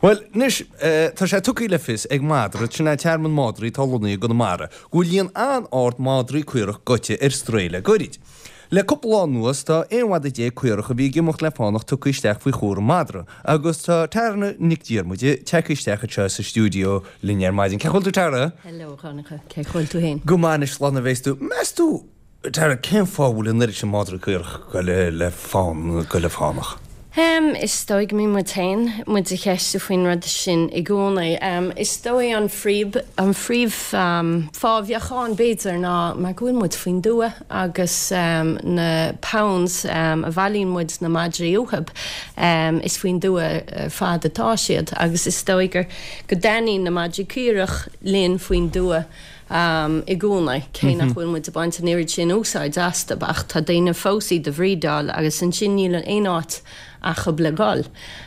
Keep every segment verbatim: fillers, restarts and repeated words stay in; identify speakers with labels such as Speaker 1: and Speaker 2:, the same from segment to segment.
Speaker 1: Bhuel, anois, tá sé tugtha le fios ag Madra, sin é tearmann madraí atá lonnaithe i gConamara, go bhfuil líon an-ard madraí caorach goite ar strae le goirid. Le cúpla lá anuas tá aon mhadadh déag caorach a bhí ag imeacht le fánach tugtha isteach faoi chúram Madra agus tá Tara Nic Diarmuide tagtha isteach anseo sa stiúideo linn ar maidin. Cén chaoi a bhfuil tú Tara?
Speaker 2: Hello, Dhonncha. Cén chaoi a bhfuil tú féin?
Speaker 1: Go maith anois, slán a bheas tú. Meas tú, Tara, cén fáth a bhfuil an oiread sin madraí caorach ag goil le fán, ag goil le fánach?
Speaker 2: Em, is dóigh go mbíonn muid féin, muid a cheistiú faoin rud sin i gcónaí. Em, is dóigh an phríomh, an phríomh em, fáth a bheadh ann b'fhéidir ná mar go bhfuil muid faoin dtuath agus em, na pounds em, a bhailíonn muid na madraí uathub, em, is faoin dtuath ar fad atá siad agus is dóigh gur, go dtaitníonn na madraí caorach linn faoin dtuath. i gcónaí, cé nach bhfuil muid ag baint an oiread sin úsáid astu, ach tá daoine fós iad a bhreedáil agus ansin níl aon áit acub le dhul.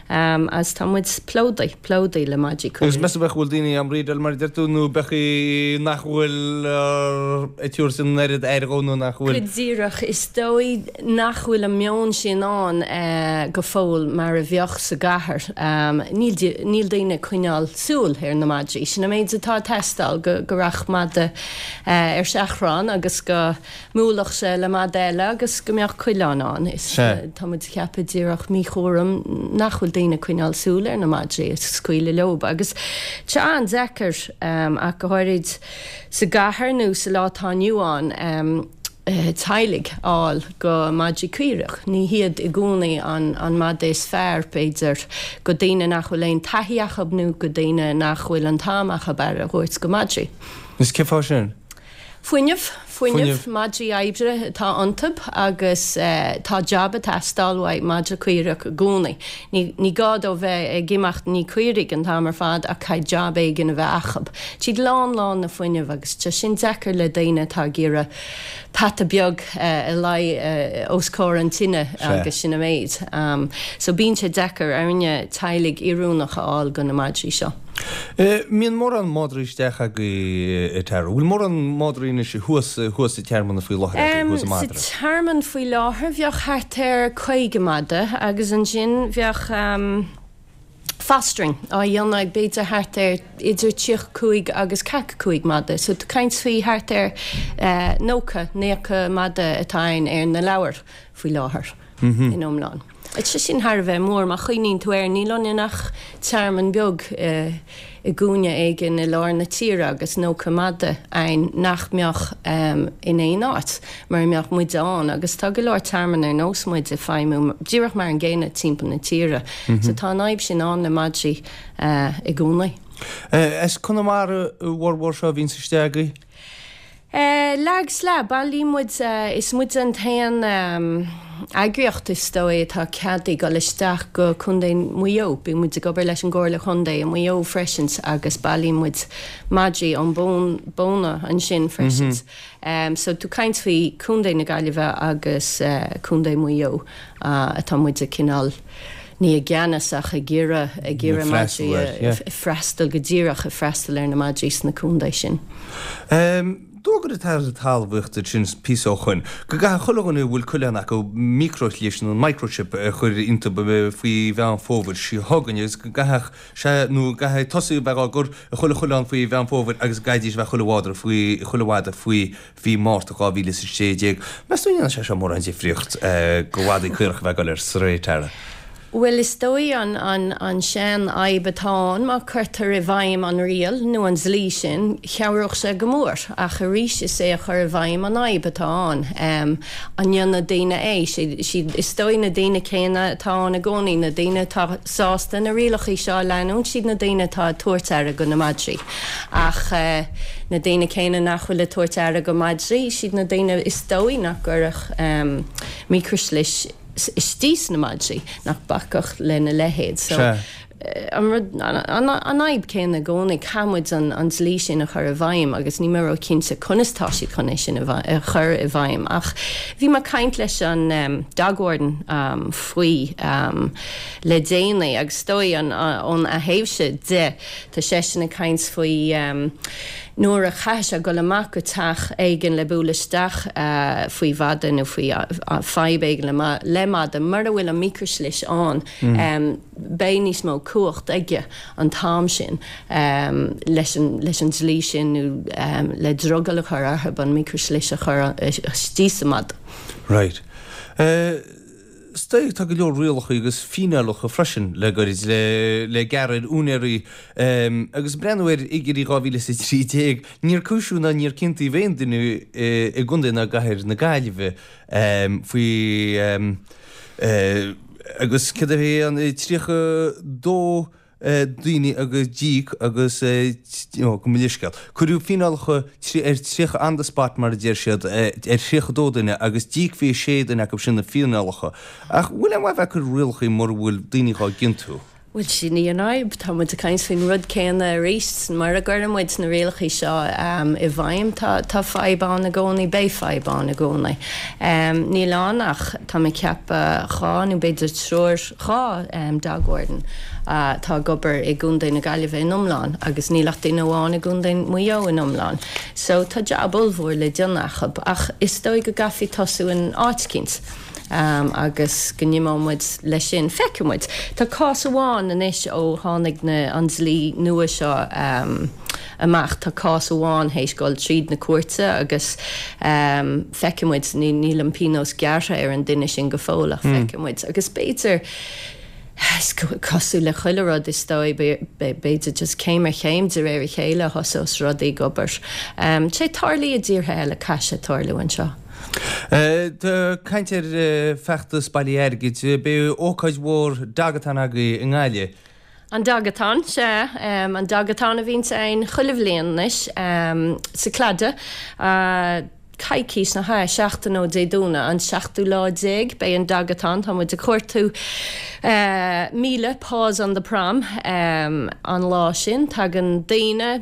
Speaker 2: Agus tá muid plódaithe, plódaithe le madraí
Speaker 1: Agus meas tú b'fhéidir go bhfuil daoine á mbreedáil mar a deir tú nó b'fhéidir nach bhfuil ag tabhairt an oiread aire dhó nó nach bhfuil.
Speaker 2: Go díreach, is dóigh nach bhfuil an meon sin ann go fóill mar a bheadh sa gcathair. Níl, níl daoine ag coinneáil súil ar na madraí. Sin an méid atá ag teastáil, go, go rachadh mada ar seachrán agus go mbuailfeadh sé le mada eile agus go mbeadh coileán ann. Is, tá muid ag ceapadh díreach míchúram nach bhfuil daoine ag coinneáil súil ar na madraí is scaoileadh leob. Agus tá sé an-deacair, ach go háirid sa gcathair nó sa lá atá inniu ann, teaghlaigh a fháil go madraí caorach. Ní hiad i gcónaí an an mada is fearr, b'fhéidir, go daoine nach bhfuil aon taithí acu nó go daoine nach bhfuil an t-am acu aire a thabhairt go madraí.
Speaker 1: Is cén fáth sin?
Speaker 2: Fuinneamh, fuinneamh, madraí oibre atá iontub agus tá jab ag teastáil uaidh madra caorach i gcónaí. Ní, ní gá dó bheith ag imeacht ní caoirigh an t-am ar fad ach caithfidh jab éigin a bheith acub. Siad lán lán na fuinneamh agus tá sin deacair le daoine atá ag iarraidh peata beag a luí os comhair an tine agus sin an méid. So bíonn sé deacair orainne teaghlaigh oiriúnach a fháil go na madraí seo.
Speaker 1: Mbíonn mórán madraí isteach agaibh a Tara? Bhfuil mórán madraí anois thuas thuas sa tearmann faoi láthair agaibh, thuas i
Speaker 2: Madra? Sa tearmann faoi láthair bheadh thart ar caoga mada agus ansin bheadh fostering á dhéanamh ag b'fhéidir thart ar idir tríocha cúig agus ceathracha cúig mada. So tá caint faoi thart ar nócha, naocha mada atá ann ar na leabhair faoi láthair in iomlán. Tá sé sin thar a bheith mór má chuimhníonn tú air, níl ionainn ach tearmann beag i gcúinne éigin i lár na tíre agus nócha mada ann nach mbeadh in aon áit mura mbeadh muide ann agus tá go leor tearmann ar nós muid ag feidhmiú díreach mar an gcéanna timpeall na tíre. So tá an fhadhb sin ann le madraí i gcónaí.
Speaker 1: As Conamara a bhformhór seo a bhíonns isteach agaibh?
Speaker 2: Leath agus leath, bailíonn muid, is muid an t-aon eagraíocht is dóigh atá ceadaithe dul isteach go Contae Mhaigh Eo. Bíonn muid ag obair leis an gComhairle Chontae i Maigh Eo freisin agus bailíonn muid madraí ón bpóna ansin freisin. So tú caint faoi Contae na Gaillimhe agus Contae Mhaigh Eo atá muid ag cineál ní i gceannas ach ag iarraidh, ag iarraidh madraí a, freastal go díreach, ag freastal ar na madraí sna contae sin.
Speaker 1: D'fhógair an tAire Talmhaíochta ansin píosa ó shoin go gcaithfidh chuile dhuine a bhfuil coileán acu microshlis nó microchip a chur iontu faoi Mheán Fómhair seo chugainn agus go gcaithfeadh sé nó go gcaithfidh tosaí a bheith á gcur i chuile choileán faoi Mheán Fómhair agus go gcaithfidís a bheith chuile mhadra faoi chuile mhada faoi mhí Márta dhá mhíle is a sé déag. Meas tú an ndéanfaidh sé seo mórán difríocht go mhadaí caorach a bheith ag dul ar strae, Tara?
Speaker 2: Bhuel, is dóigh an an an sean-fhadhb atá ann, má cuirtear i bhfeidhm an riail nó an dlí sin, chabhródh sé go mór. Ach arís, is é a chur i bhfeidhm an fhadhb atá ann. An ndéanfaidh daoine é? Siad, siad, is dóigh na daoine céanna atá ann i gcónaí, na daoine atá sásta na rialacha seo a leanúint, siad na daoine atá ag tabhairt aire go na madraí. Ach na daoine céanna nach bhfuil ag tabhairt aire go madraí, siad na daoine is dóigh nach gcuirfeadh micreashlis istigh sna madraí, nach mbacfadh lena leithéid. So an rud, an fhadhb céanna i gcónaí, caithfidh muid an dlí sin a chur i bhfeidhm agus níl mé ró-chinnte conas tá siad chun é sin a chur i bhfeidhm. Ach bhí mé ag caint leis an dog warden faoi le déanaí agus is dóigh ón a thaobhse de, tá seisean ag caint faoi Nuair a chaithfidh sé dul amach go teach éigin le bualadh isteach faoi mhadadh nó faoi fadhb éigin le madadh, mura bhfuil an micrishlis ann, beidh níos mó cumhacht aige an t-am sin leis an dlí sin nó le drogall a chur orthu an micrishlis a chur istigh sa mhadadh.
Speaker 1: Right. Is dóigh tá go leor rialacha agus fíneálacha freisin le gairid le le gearradh ar úinéirí agus breathnú ar fhigiúirí dhá mhíle is a trí déag, níor cúisíodh ná níor ciontaíodh aon duine i gContae ná i gCathair na Gaillimhe faoi agus céard a bhí ann tríocha dó daoine agus d'íoc agus gabh mo leithscéal. Cuireadh fíneálacha ar tríocha on the spot mar a deir siad ar thríocha dó duine agus d'íoc fiche sé duine acu sin na fíneálacha. Ach bhfuil aon mhaith bheith ag cur rialacha mura bhfuil daoine dhá gciontú?
Speaker 2: Bhuel, sin í an fhadhb. Tá muid ag caint faoin rud céanna arís. Mura gcuireann muid na rialacha seo i bhfeidhm, tá tá fadhb ann i gcónaí, beidh fadhb ann i gcónaí. Níl ann ach, tá mé ag ceapadh, dhá nó b'fhéidir triúr, dhá dog warden atá ag obair i gContae na Gaillimhe in iomlán agus níl ach duine amháin i gContae Mhaigh Eo in iomlán. So tá jab ollmhór le déanamh acu ach is dóigh go gcaithfí tosú in áit eicínt agus go n-imeoidh muid leis sin. Feicfidh muid. Tá cás amháin anois ó tháinig na, an dlí nua seo amach, tá cás amháin théis dul tríd na cúirte agus feicfidh muid, níl an pionós gearrtha ar an duine sin go fóill ach feicfidh muid. Agus b'fhéidir, is cosúil le chuile rud is dóigh, b'fhéidir just céim ar chéim de réir a chéile a thosós rudaí ag obair. Tá sé tarlaithe i dtíortha eile, caithfidh sé tarlú anseo.
Speaker 1: Tá caint ar feachtas bailithe airgid. Beidh ócáid mhór Dogathon agaibh i nGaillimh.
Speaker 2: An Dogathon, sea. An Dogathon a bhíonns ann chuile bhliain anois sa Claddagh. Coicís, nach ea, seachtain ó Dé Domhnaigh, an seachtú lá déag, beidh an Dogathon. Tá muid ag cuartú míle Paws on the Prom an lá sin. Tagann daoine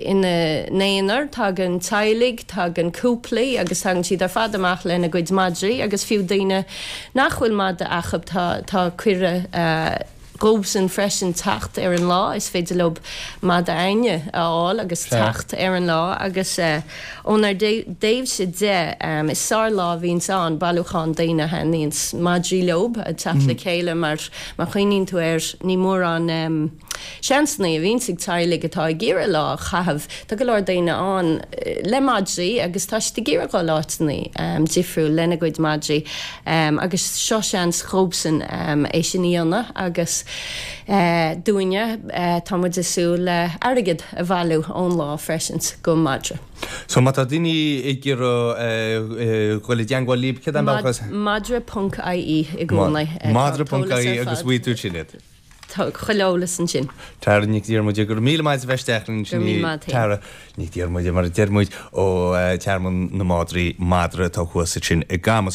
Speaker 2: ina n-aonar, tagann teaghlaigh, tagann cúplaí agus tagann siad ar fad amach lena gcuid madraí agus fiú daoine nach bhfuil madadh acu tá tá cuireadh dhóibhsean freisin teacht ar an lá. Is féidir leo madadh éinne a fháil agus teacht ar an lá agus ónár dtaobhse de is sár-lá a bhíonns ann, bailiúchán daoine a thaitníonns madraí leo ag teacht le chéile mar má chuimhníonn tú air ní mórán seansanna a bhíonns ag teaghlaigh atá ag iarraidh lá a chaitheamh. Tá go leor daoine ann le madraí agus tá siad ag iarraidh dhul áiteanna difriúil lena gcuid madraí agus seo seans dhóibhsean é sin a dhéanamh agus dúinne tá muid ag súil le airgead a bhailiú ón lá freisin go madra.
Speaker 1: So má tá daoine ag iarraidh dhul i dteangmháil libh, céard é an bealach is.
Speaker 2: Madra ponc ie i gcónaí.
Speaker 1: Madra ponc ie agus bhfaighidh tú sin iad.
Speaker 2: Tá chuile eolas ansin.
Speaker 1: Tara Nic Dhiarmuide, go raibh míle maith as a bheith isteach linn.
Speaker 2: Go raibh míle maith agat.
Speaker 1: Tara Nic Dhiarmuide, mar a deir muid, ó Tearmann na Madraí, Madra atá thuas ansin i gCamus.